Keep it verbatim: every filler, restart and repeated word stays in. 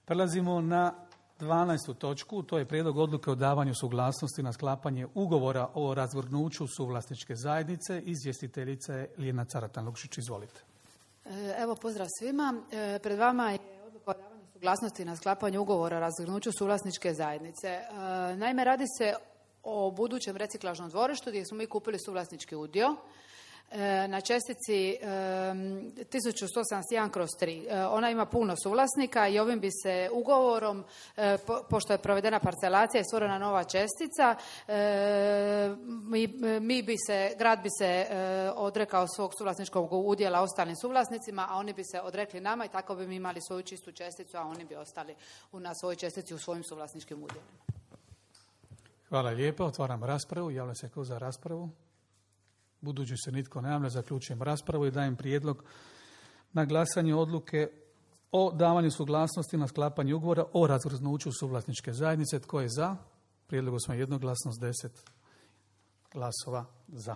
Prelazimo na dvanaestu točku, to je prijedlog odluke o davanju suglasnosti na sklapanje ugovora o razvrgnuću suvlasničke zajednice. Izvjestiteljica je Ljiljana Caratan-Lukšić, izvolite. Evo, pozdrav svima. Pred vama je odluka o davanju suglasnosti na sklapanje ugovora o razvrgnuću suvlasničke zajednice. Naime, radi se o budućem reciklažnom dvorištu gdje smo mi kupili suvlasnički udio na čestici tisuću sto osamdeset jedan kroz tri. Ona ima puno suvlasnika i ovim bi se ugovorom, pošto je provedena parcelacija i stvorena nova čestica, mi, mi bi se, grad bi se odrekao svog suvlasničkog udjela ostalim suvlasnicima, a oni bi se odrekli nama i tako bi mi imali svoju čistu česticu, a oni bi ostali na svojoj čestici u svojim suvlasničkim udjelima. Hvala lijepo. Otvaram raspravu. Javlja se ko za raspravu? Budući se nitko ne javlja, zaključujem raspravu i dajem prijedlog na glasanje odluke o davanju suglasnosti na sklapanje ugovora o razvrgnuću suvlasničke zajednice. Tko je za? Prijedlogu smo jednoglasno s deset glasova za.